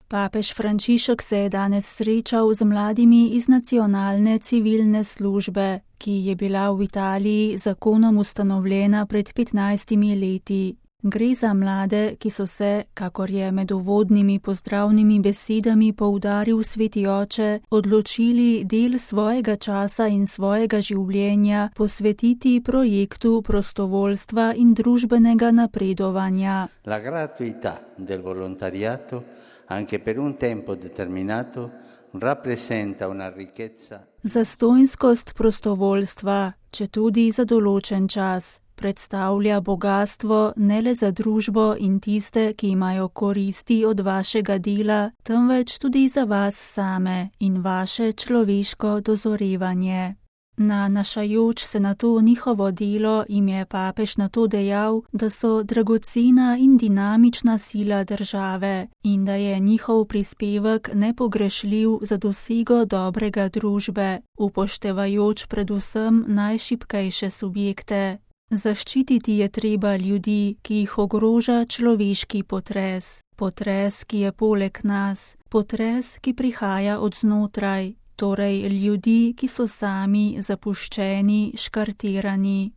Papež Frančišek se je danes srečal z mladimi iz nacionalne civilne službe, ki je bila v Italiji zakonom ustanovljena pred 15 leti. Gre za mlade, ki so se, kakor je med uvodnimi pozdravnimi besedami poudaril sveti oče, odločili del svojega časa in svojega življenja posvetiti projektu prostovoljstva in družbenega napredovanja. La gratuità del volontariato anche per un tempo determinato rappresenta una ricchezza. Zastonjskost prostovoljstva, četudi za določen čas, predstavlja bogastvo ne le za družbo in tiste, ki imajo koristi od vašega dela, temveč tudi za vas same in vaše človeško dozorevanje. Nanašajoč se na to njihovo delo jim je papež na to dejal, da so dragocena in dinamična sila države in da je njihov prispevek nepogrešljiv za dosego dobrega družbe, upoštevajoč predvsem najšibkejše subjekte. Zaščititi je treba ljudi, ki jih ogroža človeški potres. Potres, ki je poleg nas, potres, ki prihaja od znotraj. Torej ljudi, ki so sami zapuščeni, škartirani.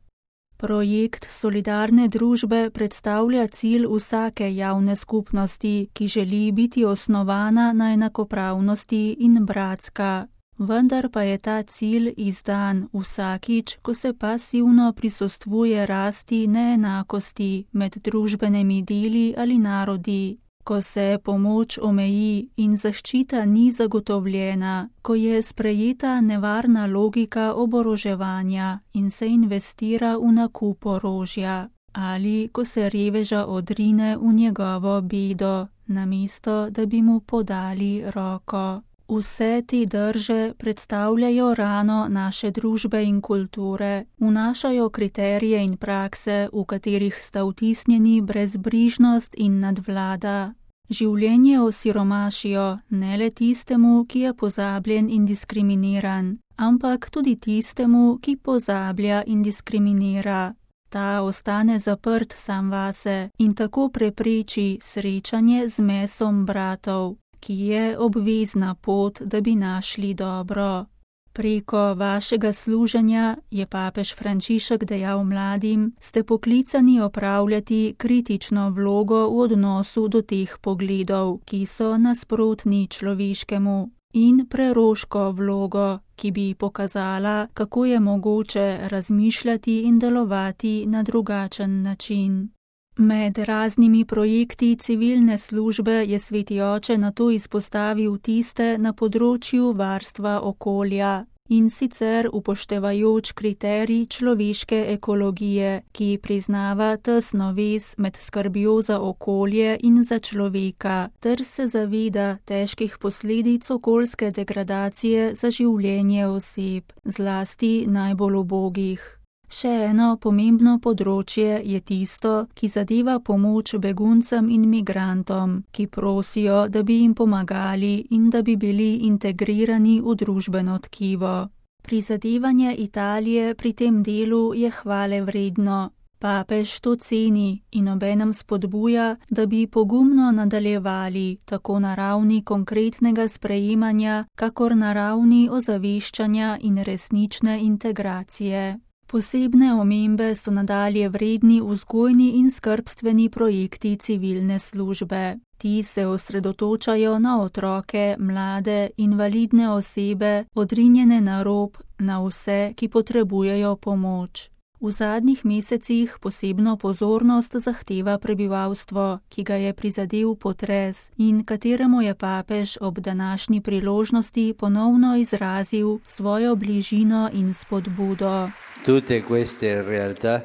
Projekt solidarne družbe predstavlja cilj vsake javne skupnosti, ki želi biti osnovana na enakopravnosti in bratska. Vendar pa je ta cilj izdan vsakič, ko se pasivno prisostvuje rasti neenakosti med družbenimi deli ali narodi. Ko se pomoč omeji in zaščita ni zagotovljena, ko je sprejeta nevarna logika oboroževanja in se investira v nakup orožja, ali ko se reveža odrine v njegovo bedo, namesto da bi mu podali roko. Vse te drže predstavljajo rano naše družbe in kulture, vnašajo kriterije in prakse, v katerih sta vtisnjeni brezbrižnost in nadvlada. Življenje osiromašijo ne le tistemu, ki je pozabljen in diskriminiran, ampak tudi tistemu, ki pozablja in diskriminira. Ta ostane zaprt sam vase in tako prepreči srečanje z mesom bratov, ki je obvezna pot, da bi našli dobro. Preko vašega služenja, je papež Frančišek dejal mladim, ste poklicani opravljati kritično vlogo v odnosu do teh pogledov, ki so nasprotni človeškemu, in preroško vlogo, ki bi pokazala, kako je mogoče razmišljati in delovati na drugačen način. Med raznimi projekti civilne službe je sveti oče nato izpostavil tiste na področju varstva okolja, in sicer upoštevajoč kriterij človeške ekologije, ki priznava tesno vez med skrbjo za okolje in za človeka, ter se zaveda težkih posledic okoljske degradacije za življenje oseb, zlasti najbolj ubogih. Še eno pomembno področje je tisto, ki zadeva pomoč beguncem in migrantom, ki prosijo, da bi jim pomagali in da bi bili integrirani v družbeno tkivo. Prizadevanje Italije pri tem delu je hvale vredno. Papež to ceni in obenem spodbuja, da bi pogumno nadaljevali tako na ravni konkretnega sprejemanja, kakor na ravni ozaveščanja in resnične integracije. Posebne omembe so nadalje vredni vzgojni in skrbstveni projekti civilne službe. Ti se osredotočajo na otroke, mlade, invalidne osebe, odrinjene na rob, na vse, ki potrebujejo pomoč. V zadnjih mesecih posebno pozornost zahteva prebivalstvo, ki ga je prizadel potres in kateremu je papež ob današnji priložnosti ponovno izrazil svojo bližino in spodbudo. Tutte queste realtà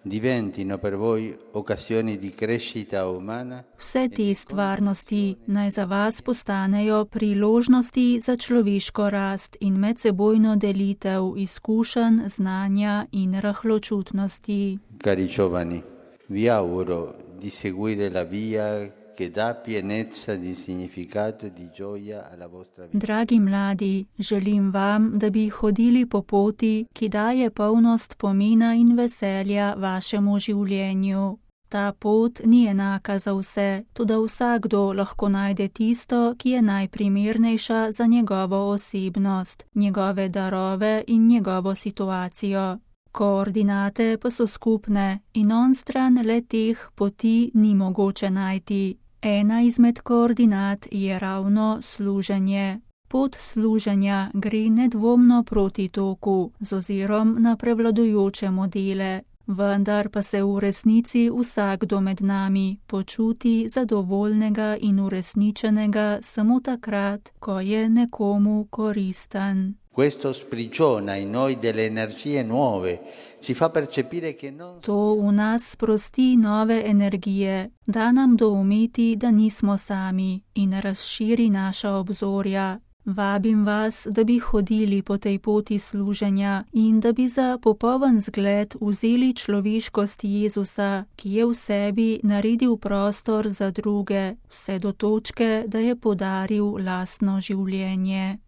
diventino per voi occasioni di crescita umana. Vse te stvarnosti naj za vas postanejo priložnosti za človeško rast in medsebojno delitev izkušenj, znanja in rahločutnosti. Cari giovani, vi auguro di seguire la via che dà pienezza di significato e di gioia alla vostra vita. Dragi mladi, želim vam, da bi hodili po poti, ki daje polnost pomena in veselja vašemu življenju. Ta pot ni enaka za vse, toda vsakdo lahko najde tisto, ki je najprimernejša za njegovo osebnost, njegove darove in njegovo situacijo. Koordinate pa so skupne in onstran le teh poti ni mogoče najti. Ena izmed koordinat je ravno služenje. Pot služenja gre nedvomno proti toku z ozirom na prevladujoče modele, vendar pa se v resnici vsakdo med nami počuti zadovoljnega in uresničenega samo takrat, ko je nekomu koristen. Questo sprigiona in noi delle energie nuove, ci fa percepire che non... To v nas sprosti nove energije, da nam doumeti, da nismo sami in razširi naša obzorja. Vabim vas, da bi hodili po tej poti služenja in da bi za popoln zgled vzeli človeškost Jezusa, ki je v sebi naredil prostor za druge, vse do točke, da je podaril lastno življenje.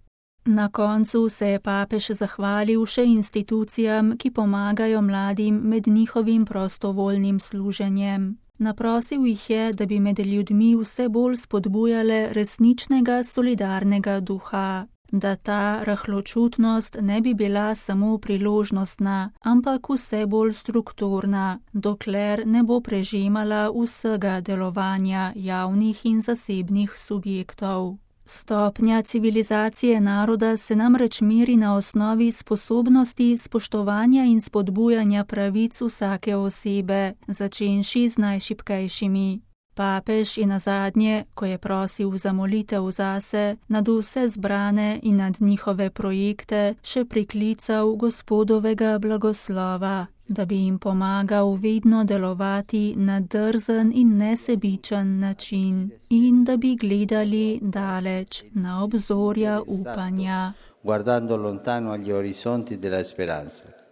Na koncu se je papež zahvalil še institucijam, ki pomagajo mladim med njihovim prostovoljnim služenjem. Naprosil jih je, da bi med ljudmi vse bolj spodbujale resničnega solidarnega duha, da ta rahločutnost ne bi bila samo priložnostna, ampak vse bolj strukturna, dokler ne bo prežemala vsega delovanja javnih in zasebnih subjektov. Stopnja civilizacije naroda se namreč meri na osnovi sposobnosti spoštovanja in spodbujanja pravic vsake osebe, začenši z najšibkejšimi. Papež je nazadnje, ko je prosil za molitev zase, nad vse zbrane in nad njihove projekte, še priklical Gospodovega blagoslova, da bi jim pomagal vedno delovati na drzen in nesebičen način in da bi gledali daleč na obzorja upanja. Guardando lontano agli orizzonti della speranza.